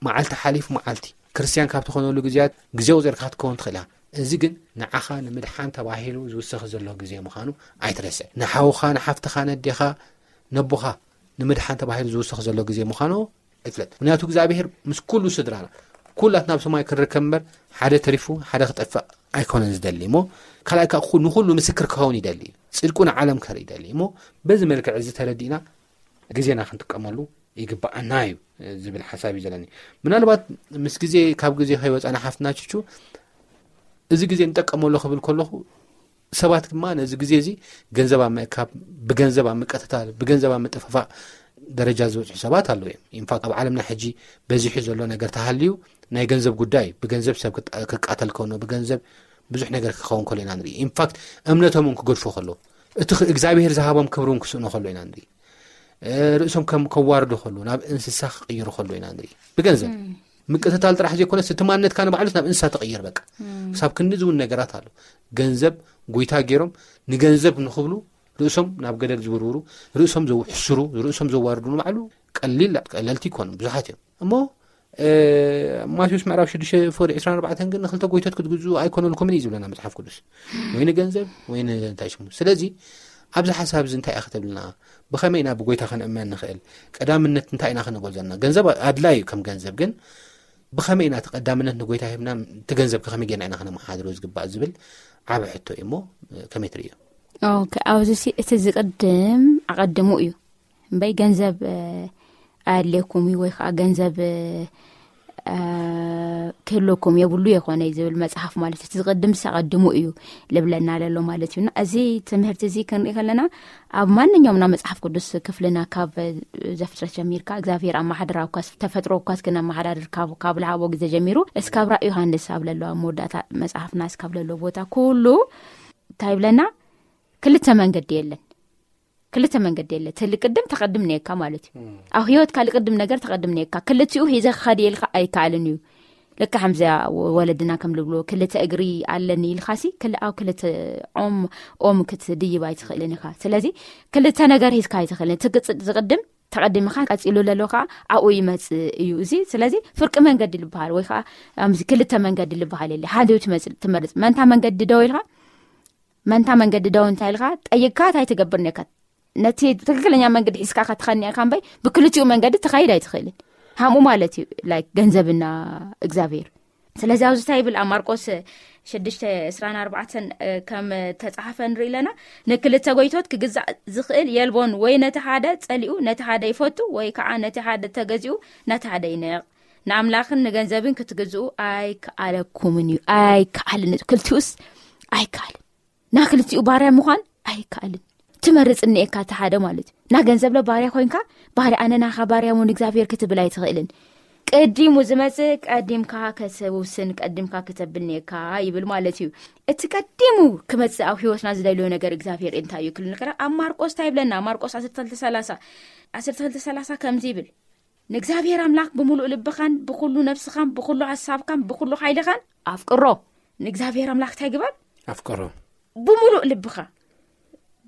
መዓልቲ ሓሊፉ መዓልቲ። ክርስትያን ካብ ትኾነሉ ግዜያት ግዜ ቁጺርካ ክትከውን ትኽእል ኢኻ። እዚ ግን ንዓኻ ንምድሓን ተባሂሉ ዝውሰኽ ዘሎ ግዜ ምዃኑ ኣይትረስዕ። ንሓውኻ፣ ንሓፍትኻ፣ ነዴኻ፣ ነቦኻ ንምድሓን ተባሂሉ ዝውሰኽ ዘሎ ግዜ ምዃኑ እፍለጥ። ምኽንያቱ እግዚኣብሔር ምስ ኩሉ ስድራና፣ ኩላትና ኣብ ሰማይ ክንርከብ እምበር፣ ሓደ ተሪፉ ሓደ ክጠፍእ ኣይኮነን ዝደሊ እሞ፣ ካልኣይ ከኣ ኩ-፣ ንኹሉ ምስክር ክኸውን ይደሊ እዩ። ጽድቁ ንዓለም ከርኢ ይደሊ እሞ፣ በዚ መልክዕ እዚ ተረዲእና ግዜና ክንጥቀመሉ ይግባኣና እዩ ዝብል ሓሳብ እዩ ዘለኒ። ምናልባት ምስ ግዜ፣ ካብ ግዜ ከይወጻና ሓፍትና ችቹ፣ እዚ ግዜ ንጠቀመሉ ክብል ከለኹ፣ ሰባት ድማ ነዚ ግዜ እዚ ገንዘብ ኣብ ምእካብ፣ ብገንዘብ ኣብ ምቅትታል፣ ብገንዘብ ኣብ ምጥፍፋእ ደረጃ ዝበጽሑ ሰባት ኣለዉ እዮም። ኢንፋክት ኣብ ዓለምና ሕጂ በዚሑ ዘሎ ነገር ተሃልዩ ናይ ገንዘብ ጉዳይ፣ ብገንዘብ ሰብ ክጣ-፣ ክቃተል ከሎ፣ ብገንዘብ ብዙሕ ነገር ክኸውን ከሎ ኢና ንርኢ። ኢንፋክት እምነቶም እውን ክገድፎ ከሎ፣ እቲ ኽ-፣ እግዚኣብሔር ዝሃቦም ክብሪ እውን ክስእኖ ከሎ ኢና ንርኢ። እ፣ ርእሶም ከም ከዋርዱ ከሎ፣ ናብ እንስሳ ክቕይሩ ከሎ ኢና ንርኢ። ብገንዘብ ምቅትታል ጥራሕ ዘይኮነስ፣ እቲ ማንነትካ ንባዕሉስ ናብ እንስሳ ትቕይር። በቃ ክሳብ ክንዲ ዝውን ነገራት ኣሎ። ገንዘብ ጎይታ ገይሮም፣ ንገንዘብ ንኽብሉ ርእሶም ናብ ገደል ዝውርውሩ፣ ርእሶም ዘውሕስሩ፣ ርእሶም ዘዋርዱ ንባዕሉ ቀሊል፣ ቀለልቲ ይኮኑ፣ ብዙሓት እዮም። እሞ፣ እ፣ ማቴዎስ ምዕራፍ ሽዱሽተ ፍቕዲ ዕስራን ኣርባዕተን ግን፣ "ንክልተ ጎይቶት ክትግዝኡ ኣይኮነልኩምን" እዩ ዝብለና መጽሓፍ ቅዱስ። ወይ ንገንዘብ፣ ወይ ን-፣ እንታይ ሽሙ። ስለዚ፣ ኣብዚ ሓሳብ እዚ እንታይ ኢኻ ክትብልና? ብኸመይ ኢና ብጎይታ ክንእመን ንኽእል? ቀዳምነት እንታይ ኢና ክንህቦ ዘለና? ገንዘብ ኣድላይ እዩ፣ ከም ገንዘብ ግን፣ ብኸመይ ኢና እቲ ቀዳምነት ንጎይታ ሂብና፣ እቲ ገንዘብ ከ ከመይ ጌርና ኢና ከነመሓድሮ ዝግባእ ዝብል ዓቢ ሕቶ እዩ እሞ፣ ከመይ ትርእዮ? ኦኬ፣ ኣብዚ ሲ-፣ እቲ ዝቕድም ኣቐድሙ እዩ። እምበይ ገንዘብ፣ እ፣ ኣየድልየኩም እዩ ወይ ከዓ ገንዘብ፣ እ፣ እ፣ ክህልወኩም የብሉ የኾነ እዩ ዝብል መጽሓፍ ማለት እዩ። እቲ ዝቕድም ኣቐድሙ እዩ ልብለና ለሎ ማለት እዩ። እና እዚ ትምህርቲ እዚ ክንርኢ ከለና ኣብ ማንኛውም ናይ መጽሓፍ ቅዱስ ክፍልና ካብ ዘፍጥረት ጀሚርካ እግዚኣብሔር ኣመሓድራ እኳ ተፈጥሮ እኳ እስኪ ነመሓዳድር ካብ፣ ካብ ለሃቦ ግዜ ጀሚሩ እስካብ ራእይ ዮሃንስ ኣብ ለለዋ መወዳእታ መጽሓፍና እስካብ ለለዎ ቦታ ኩሉ እንታይ ይብለና? ክልተ መንገዲ የለን። ክልተ መንገዲ የለ። እቲ ልቅድም ተቐድም ነየካ ማለት እዩ። ኣብ ህይወትካ ልቅድም ነገር ተቐድም ነየካ። ክልቲኡ ሒዘ ክኸድ የልካ ኣይከኣልን እዩ። ልክዕ ከምዚያ ወ-፣ ወለድና ከም ልብልዎ፣ "ክልተ እግሪ ኣለኒ" ኢልካሲ፣ ክል-፣ ኣብ ክልተ ኦም፣ ኦም ክትድይብ ኣይትኽእልን ኢኻ። ስለዚ፣ ክልተ ነገር ሒዝካ ኣይትኽእልን። እቲ ግጽ-፣ ዝቕድም ተቐዲምኻ፣ ቀጺሉ ለሎ ከኣ ኣብኡ ይመጽእ እዩ። እዚ፣ ስለዚ፣ ፍርቂ መንገዲ ልበሃል ወይ ከኣ፣ ኣምዚ ክልተ መንገዲ ልበሃል የለ። ሓደ እዩ ትመጽ-፣ ትመርጽ። መንታ መንገዲ ደው ኢልካ፣ መንታ መንገዲ ደው እንታይ ኢልካ፣ ጠይቅካ እንታይ ትገብር ነካ? ነቲ ትክክለኛ መንገዲ ሒዝካ ከትኸኒ ኢኻ እምበይ፣ ብክልቲኡ መንገዲ ትኸይድ ኣይትኽእልን። ሃምኡ ማለት እዩ፣ ላይክ፣ ገንዘብና እግዚኣብሔር። ስለዚ ኣብዚ እንታይ ይብል ኣብ ማርቆስ ሽዱሽተ ዕስራን ኣርባዕተን ከም ተጻሓፈ ንርኢ ኣለና። ንክልተ ጎይቶት ክግዛእ ዝኽእል የልቦን፣ ወይ ነቲ ሓደ ጸሊኡ ነቲ ሓደ ይፈቱ፣ ወይ ከዓ ነቲ ሓደ ተገዚኡ ነቲ ሓደ ይንዕቕ። ንኣምላኽን ንገንዘብን ክትግዝኡ ኣይከኣለኩምን እዩ። ኣይከኣልን፣ ክልቲኡስ ኣይከኣልን። ና ክልቲኡ ባርያ ምዃን ኣይከኣልን። ትመርጽ እኒኤካ እቲ ሓደ ማለት እዩ። ና ገንዘብለ ባርያ ኮይንካ፣ ባርያ፣ ኣነ ናኻ ባርያ እውን እግዚኣብሔር ክትብል ኣይትኽእልን። ቀዲሙ ዝመጽእ ቀዲምካ ከሰውስን ቀዲምካ ክተብልኔካ ይብል ማለት እዩ። እቲ ቀዲሙ ክመጽእ ኣብ ህይወትና ዝደልዮ ነገር እግዚኣብሔር እንታይ እዩ ክብል ንክራ ኣብ ማርቆስ እንታይ ይብለና? ማርቆስ ዓሰርተ ክልተ ሰላሳ፣ ዓሰርተ ክልተ ሰላሳ ከምዚ ይብል፣ ንእግዚኣብሔር ኣምላኽ ብምሉእ ልብኻን ብኩሉ ነፍስኻን ብኩሉ ሓሳብካን ብኩሉ ሓይልኻን ኣፍቅሮ። ንእግዚኣብሔር ኣምላኽ እንታይ ግበር? ኣፍቅሮ። ብምሉእ ልብኻ፣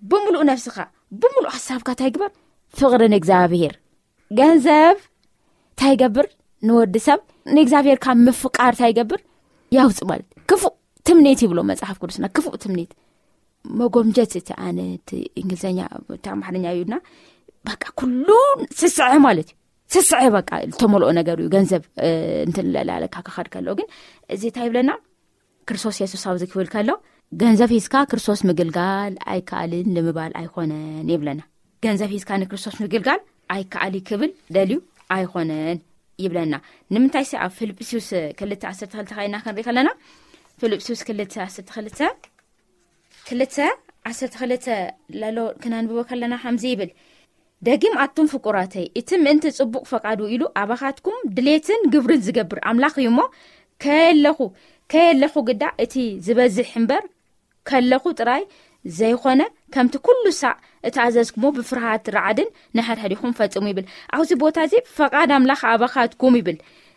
ብምሉእ ነፍስኻ፣ ብምሉእ ሓሳብካ እንታይ ግበር? ፍቕሪ ንእግዚኣብሔር። ገንዘብ እንታይ ይገብር? ንወዲ ሰብ ንእግዚኣብሔር ካብ ምፍቃር እንታይ ይገብር? ያውፅ ማለት ክፉእ ትምኔት ይብሎ መጽሓፍ ቅዱስና። ክፉእ ትምኔት፣ መጎምጀት፣ እቲ ኣነ፣ እቲ እንግሊዝኛ፣ እቲ ኣምሓርኛ እዩና፣ በቃ ኩሉ ስስዐ ማለት እዩ። ስስዐ በቃ ዝተመልኦ ነገር እዩ። ገንዘብ እንትን ለላለካ ክኸድ ከሎ ግን እዚ እንታይ ይብለና? ክርስቶስ የሱስ ኣብዚ ክብል ከሎ፣ ገንዘብ ሒዝካ ክርስቶስ ምግልጋል ኣይከኣልን ንምባል ኣይኮነን ይብለና። ገንዘብ ሒዝካ ንክርስቶስ ምግልጋል ኣይከኣል ክብል ደልዩ ኣይኮነን ይብለና። ንምንታይ ሲ ኣብ ፊልጵስዩስ ክልተ ዓሰርተ ክልተ ካይና ክንርኢ ከለና፣ ፊልጵስዩስ ክልተ ዓሰርተ ክልተ፣ ክልተ ዓሰርተ ክልተ ለሎ ክነንብቦ ከለና ከምዚ ይብል፣ ደጊም ኣቱም ፍቁራተይ፣ እቲ ምእንቲ ጽቡቕ ፈቃዱ ኢሉ ኣባኻትኩም ድሌትን ግብርን ዝገብር ኣምላኽ እዩ እሞ፣ ከየለኹ፣ ከየለኹ ግዳ እቲ ዝበዝሕ እምበር፣ ከለኹ ጥራይ ዘይኾነ፣ ከምቲ ኩሉ ሳዕ እተኣዘዝኩሞ ብፍርሃት ራዕድን ንሕድሕዲኹም ፈጽሙ ይብል። ኣብዚ ቦታ እዚ ፈቃድ ኣምላኽ ኣባኻትኩም ይብል።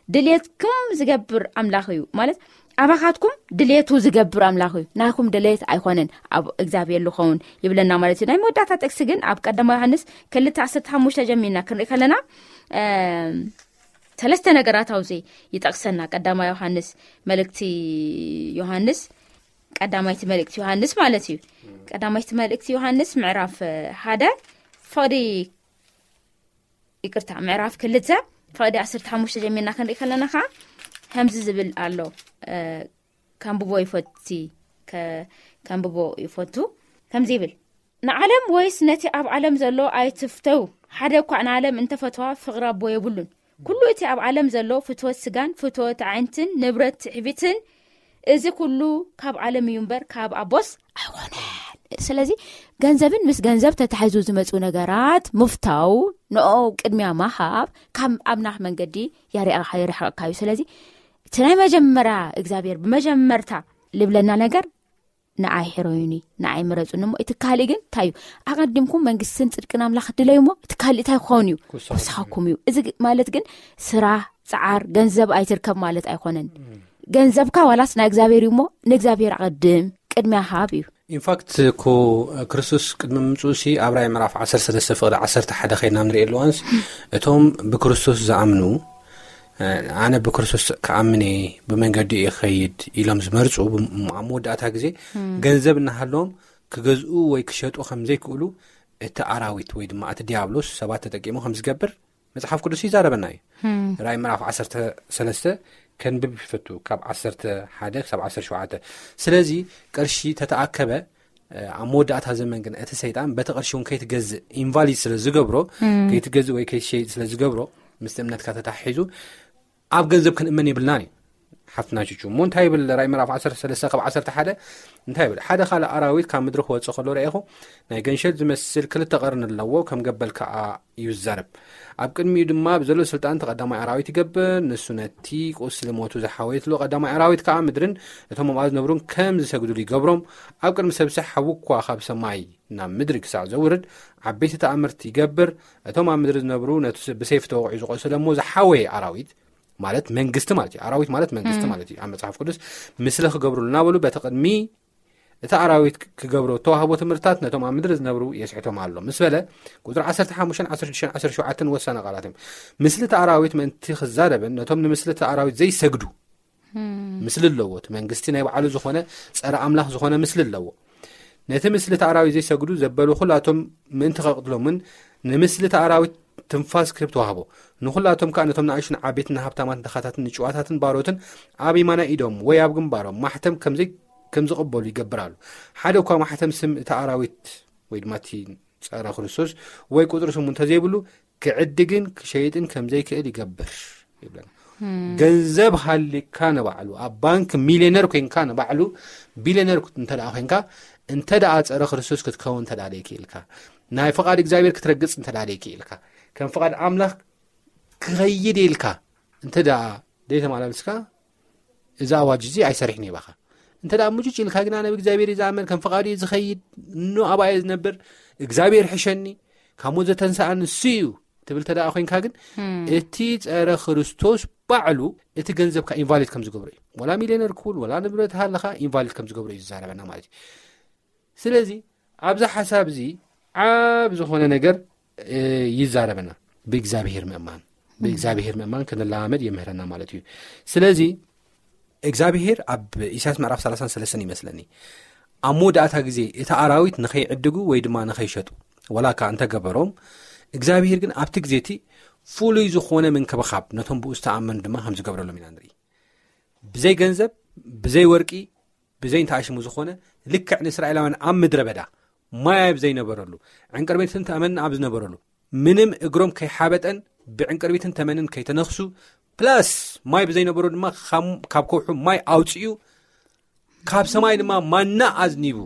ድሌትኩም ዝገብር ኣምላኽ እዩ ማለት፣ ኣባኻትኩም ድሌቱ ዝገብር ኣምላኽ እዩ፣ ናይኩም ድሌት ኣይኮነን ኣብ እግዚኣብሔር ዝኸውን ይብለና ማለት እዩ። ናይ መወዳእታ ጥቅሲ ግን ኣብ ቀዳማይ ዮሃንስ ክልተ ዓሰርተ ሓሙሽተ ጀሚርና ክንርኢ ከለና፣ እም፣ ሰለስተ ነገራት ኣብዚ ይጠቅሰና። ቀዳማይ ዮሃንስ፣ መልእክቲ ዮሃንስ፣ ቀዳማይቲ መልእክቲ ዮሃንስ ማለት እዩ። ቀዳማይቲ መልእክቲ ዮሃንስ ምዕራፍ ሓደ፣ ፍቕዲ፣ ይቅርታ፣ ምዕራፍ ክልተ፣ ፍቕዲ ዓሰርተ ሓሙሽተ ጀሚርና ክንርኢ ከለና ከዓ ከምዚ ዝብል ኣሎ። እ፣ ከንብቦ ይፈቲ፣ ከ-፣ ከንብቦ ይፈቱ። ከምዚ ይብል፣ ንዓለም ወይስ ነቲ ኣብ ዓለም ዘሎ ኣይትፍተው። ሓደ እኳ ንዓለም እንተፈትዋ ፍቕሪ ኣቦ የብሉን። ኩሉ እቲ ኣብ ዓለም ዘሎ ፍትወት ስጋን ፍትወት ኣዒንትን ንብረት ትዕቢትን፣ እዚ ኩሉ ካብ ዓለም እዩ እምበር ካብ ኣቦስ ኣይኮነን። ስለዚ ገንዘብን ምስ ገንዘብ ተታሒዙ ዝመፁ ነገራት ምፍታው፣ ንኦ ቅድሚያ ማሃብ ካብ ኣምላኽ መንገዲ ያሪኣ-፣ የርሕቐካ እዩ። ስለዚ እቲ ናይ መጀመርያ እግዚኣብሔር ብመጀመርታ ልብለና ነገር ንኣይ ሕረዩኒ፣ ንኣይ ምረጹኒ እሞ እቲ ካልእ ግን እንታይ እዩ? ኣቐዲምኩም መንግስትን ጽድቅን ኣምላኽ ድለዩ እሞ እቲ ካልእ እንታይ ክኸውን እዩ? ክውሰኸኩም ክውሰኸኩም እዩ። እዚ ግ-፣ ማለት ግን ስራሕ፣ ጸዓር፣ ገንዘብ ኣይትርከብ ማለት ኣይኮነን። እም። ገንዘብካ ዋላስ ናይ እግዚኣብሔር እዩ እሞ ንእግዚኣብሔር ኣቐድም፣ ቅድሚያ ሃብ እዩ። ኢንፋክት እኮ ክርስቶስ ቅድሚ ምምጽኡ ሲ ኣብ ራእይ ምዕራፍ ዓሰርተ ሰለስተ ፍቕዲ ዓሰርተ ሓደ ኸይድና ንርኢ ኣለዋንስ እቶም ብክርስቶስ ዝኣምኑ፣ እ፣ ኣነ ብክርስቶስ ክኣምን እየ፣ ብመንገዲ እየ ክኸይድ ኢሎም ዝመርጹ፣ ብ-፣ ኣብ መወዳእታ ግዜ እም። ገንዘብ እናሃለዎም ክገዝኡ ወይ ክሸጡ ከም ዘይክእሉ እቲ ኣራዊት ወይ ድማ እቲ ዲያብሎስ ሰባት ተጠቂሙ ከም ዝገብር መጽሓፍ ቅዱስ ይዛረበና እዩ። እም። ራእይ ምዕራፍ ዓሰርተ ሰለስተ ከንብብ ይፈቱ፣ ካብ ዓሰርተ ሓደ ክሳብ ዓሰርተ ሸውዓተ። ስለዚ ቅርሺ ተተኣከበ፣ እ፣ ኣብ መወዳእታ ዘመን ግን እቲ ሰይጣን በቲ ቅርሺ እውን ከይትገዝእ ኢንቫሊድ ስለ ዝገብሮ፣ እም። ከይትገዝእ ወይ ከይትሸይጥ ስለ ዝገብሮ፣ ምስቲ እምነትካ ተታሒዙ ኣብ ገንዘብ ክንእመን የብልናን እዩ። ሓፍትና ቹቹ እሞ እንታይ ይብል ራእይ ምዕራፍ ዓሰርተ ሰለስተ ካብ ዓሰርተ ሓደ እንታይ ይብል? ሓደ ካልእ ኣራዊት ካብ ምድሪ ክወጽእ ከሎ ረኤኹ፣ ናይ ገንሸል ዝመስል ክልተ ቀርኒ ኣለዎ፣ ከም ገበል ከኣ እዩ ዝዛረብ። ኣብ ቅድሚኡ ድማ ብዘሎ ስልጣን እቲ ቀዳማይ ኣራዊት ይገብር። ንሱ ነቲ ቁስሊ ሞቱ ዝሓወየትሉ ቀዳማይ ኣራዊት ከኣ ምድርን እቶም ኣብኣ ዝነብሩን ከም ዝሰግዱሉ ይገብሮም። ኣብ ቅድሚ ሰብሲ ሓዊ እኳ ካብ ሰማይ ናብ ምድሪ ክሳዕ ዘውርድ፣ ዓበይቲ ተኣምርቲ ይገብር። እቶም ኣብ ምድሪ ዝነብሩ ነቲ ስ-፣ ብሰይፊ ተወቒዑ ዝቖሰለ እሞ ዝሓወየ ኣራዊት፣ ማለት መንግስቲ ማለት እዩ። ኣራዊት ማለት መንግስቲ እም። ማለት እዩ። ኣብ መጽሓፍ ቅዱስ፣ "ምስሊ ክገብሩሉ እናበሉ በቲ ቅድሚ እቲ ኣራዊት ክ-፣ ክገብሮ እተዋህቦ ትምህርትታት ነቶም ኣብ ምድሪ ዝነብሩ የስሕቶም ኣሎ" ምስ በለ፣ ቁጽሪ ዓሰርተ ሓሙሽተን ዓሰርተ ሽዱሽተን ዓሰርተ ሸውዓተን ወሳኒ ቃላት እዮም። ምስሊ እቲ ኣራዊት ምእንቲ ክዛረብን ነቶም ንምስሊ እቲ ኣራዊት ዘይሰግዱ እም። ምስሊ ኣለዎ። እቲ መንግስቲ ናይ ባዕሉ ዝኾነ ጸረ ኣምላኽ ዝኾነ ምስሊ ኣለዎ። ነቲ ምስልቲ ኣራዊት ዘይሰግዱ ዘበሉ ኩላቶም ምእንቲ ከቕትሎምን ንምስልቲ ኣራዊት ትንፋስ ክህብ ተዋህቦ። ንኹላቶም ከኣ ነቶም ንኣሽቱን ዓበይትን ንሃብታማትን ድኻታትን ንጭዋታትን ባሮትን ኣብ የማናይ ኢዶም ወይ ኣብ ግንባሮም ማሕተም ከምዘይ ከም ዝቕበሉ ይገብር ኣሎ። ሓደ እኳ ማሕተም ስም እቲ ኣራዊት ወይ ድማ እቲ ጸረ ክርስቶስ ወይ ቁጽሪ ስሙ እንተዘይብሉ ክዕድግን ክሸይጥን ከምዘይክእል ይገብር ይብለና። ገንዘብ ሃሊካ ንባዕሉ ኣብ ባንክ ሚሊዮነር ኮንካ ንባዕሉ ቢሊዮነር እንተ ደኣ ኮንካ እንተ ደኣ ጸረ ክርስቶስ ክትከውን እንተ ደኣ ደይክኢልካ ናይ ፍቓድ እግዚኣብሔር ክትረግጽ እንተ ደኣ ደይክኢልካ ከም ፍቓድ ኣምላኽ ክኸይድ ኢልካ እንተ ደኣ ደይተመላለስካ እዚ ኣዋጅ እዚ ኣይሰርሕን ይባኻ። እንተ ደኣ ምጭጭ ኢልካ ግና ነብ እግዚኣብሔር እዩ ዝኣመን ከም ፍቓዱ እዩ ዝኸይድ እኖ ኣባየ ዝነብር እግዚኣብሔር ሕሸኒ ካብ ሞት ዘተንስኣኒ እሱ እዩ ትብል ተደኣ ኮይንካ ግን እቲ ጸረ ክርስቶስ ባዕሉ እቲ ገንዘብካ ኢንቫሊድ ከም ዝገብሮ እዩ። ወላ ሚሊዮነር ክውን ወላ ንብረት ሃለኻ ኢንቫሊድ ከም ዝገብሮ እዩ ዝዛረበና ማለት እዩ። ስለዚ ኣብዚ ሓሳብ እዚ ዓብ ዝኾነ ነገር ይዛረበና። ብእግዚኣብሔር ምእማን ብእግዚኣብሔር ምእማን ክንለማመድ የምህረና ማለት እዩ። ስለዚ እግዚኣብሔር ኣብ ኢሳያስ ምዕራፍ ሰላሳን ሰለስተን ይመስለኒ ኣብ መወዳእታ ግዜ እቲ ኣራዊት ንኸይዕድጉ ወይ ድማ ንኸይሸጡ ወላ እካ እንተገበሮም እግዚኣብሔር ግን ኣብቲ ግዜ እቲ ፍሉይ ዝኾነ ምንክብኻብ ነቶም ብኡ ዝተኣመኑ ድማ ከም ዝገብረሎም ኢና ንርኢ። ብዘይ ገንዘብ ብዘይ ወርቂ ብዘይ እንተኣሽሙ ዝኾነ ልክዕ ንእስራኤላውያን ኣብ ምድረ በዳ ማይ ኣብ ዘይነበረሉ ዕንቅርቢትን ተመንን ኣብ ዝነበረሉ ምንም እግሮም ከይሓበጠን ብዕንቅርቢትን ተመንን ከይተነኽሱ ፕላስ ማይ ብዘይነበሮ ድማ ካብ ከውሑ ማይ ኣውፅኡ ካብ ሰማይ ድማ ማና ኣዝኒቡ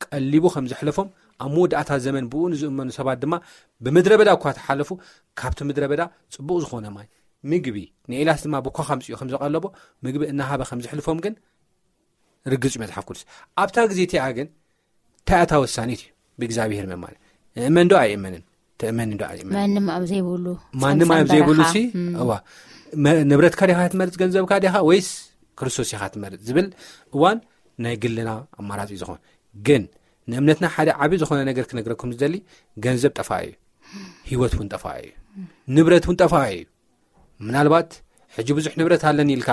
ቀሊቡ ከም ዘሕለፎም ኣብ መወዳእታ ዘመን ብኡ ንዝእመኑ ሰባት ድማ ብምድረ በዳ እኳ ተሓለፉ ካብቲ ምድረ በዳ ፅቡቕ ዝኾነ ማይ ምግቢ ንኤልያስ ድማ ብኳ ከምፅኡ ከም ዘቐለቦ ምግቢ እናሃበ ከም ዘሕልፎም ግን ርግፅ እዩ መፅሓፍ ቅዱስ። ኣብታ ግዜ እቲኣ ግን እንታይ እታ ወሳኒት እዩ ብእግዚኣብሔር ምእማን እመን ዶ ኣይእመንን ተእመን ዶ ኣይእመን ማንም ኣብ ዘይብሉ ማንም ኣብ ዘይብሉ ሲ እዋ ንብረትካ ዲኻ ትመርፅ ገንዘብካ ዲኻ ወይስ ክርስቶስ ኢኻ ትመርፅ ዝብል እዋን ናይ ግልና ኣማራፂ ዝኾን ግን ንእምነትና ሓደ ዓብዪ ዝኾነ ነገር ክነግረኩም ዝደሊ ገንዘብ ጠፋ እዩ ህይወት እውን ጠፋ እዩ ንብረት እውን ጠፋ እዩ ምናልባት ሕጂ ብዙሕ ንብረት ኣለኒ ኢልካ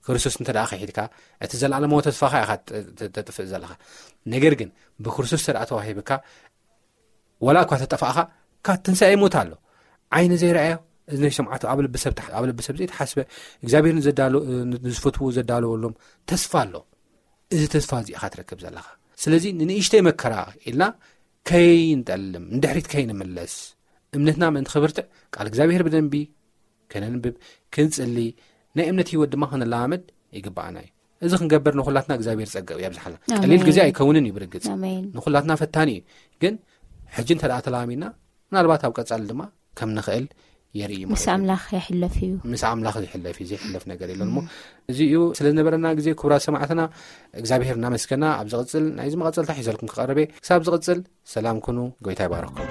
ክርስቶስ እንተ ደኣ ከሒድካ እቲ ዘለኣለማዊ ተስፋኻ ኢኻ ተጥፍእ ዘለኻ ነገር ግን ብክርስቶስ ተደኣ ተዋሂብካ ወላ እኳ ተጠፋእኻ ካብ ትንሳኤ ሞት ኣሎ ዓይኒ ዘይረኣዮ እዝነ ሰምዓቱ ኣብ ልቢ ሰብ ዘይተሓስበ እግዚኣብሔር ንዝፈትዎ ዘዳለወሎም ተስፋ ኣሎ እዚ ተስፋ እዚ ኢኻ ትረክብ ዘለኻ ስለዚ ንንእሽተይ መከራ ኢልና ከይንጠልም ንድሕሪት ከይንምለስ እምነትና ምእንቲ ክብርትዕ ቃል እግዚኣብሔር ብደንቢ ከነንብብ ክንጽሊ ናይ እምነት ህይወት ድማ ክንለማመድ ይግባኣና እዩ እዚ ክንገብር ንኩላትና እግዚኣብሔር ጸገብ ያብዝሓልና ቀሊል ግዜ ኣይከውንን እዩ ብርግጽ ንኩላትና ፈታኒ እዩ ግን ሕጂ እንተ ተላሚና ምናልባት ኣብ ቀጻሊ ድማ ከም ንኽእል የርኢ ምስ ኣምላኽ ይሕለፍ እዩ ምስ ኣምላኽ ዝሕለፍ እዩ ዘይሕለፍ ነገር የለን እሞ እዚ እዩ ስለ ዝነበረና ግዜ ክቡራት ሰማዕትና እግዚኣብሔር እናመስገና ኣብ ዝቕፅል ናይዚ መቐፀልታ ሒዘልኩም ክቐርብ እየ ክሳብ ዝቕፅል ሰላም ኩኑ ጎይታ ይባረኩም